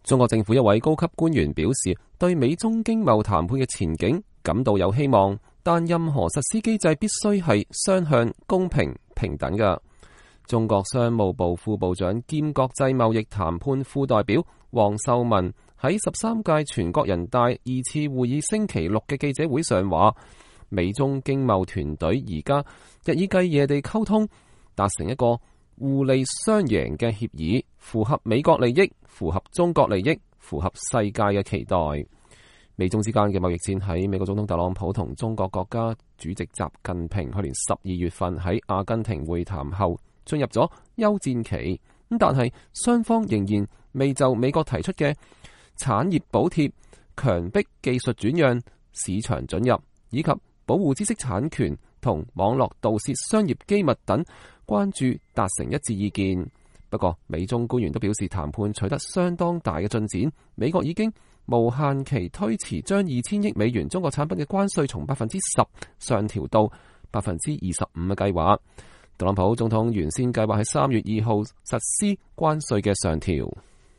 中國政府一位高級官員表示，對美中經貿談判嘅前景感到有希望，但任何實施機制必須係雙向、公平、平等嘅。中國商務部副部長兼國際貿易談判副代表王受文喺13屆全國人大2次會議星期六嘅記者會上話，美中經貿團隊而家日以繼夜地溝通，達成一個互利雙贏嘅協議，符合美國利益，符合中國利益，符合世界嘅期待。美中之間嘅貿易戰喺美國總統特朗普同中國國家主席習近平去年12月份喺阿根廷會談後進入咗休戰期，但係雙方仍然未就美國提出嘅產業補貼、強迫技術轉讓、市場准入以及保護知識產權同網絡盜竊商業機密等關注達成一致意見。不過美中官員都表示談判取得相當大嘅進展，美國已經無限期推遲將2000億美元中國產品嘅關稅從10%上調到25%嘅計劃。特朗普總統原先計劃喺3月2號實施關稅嘅上調。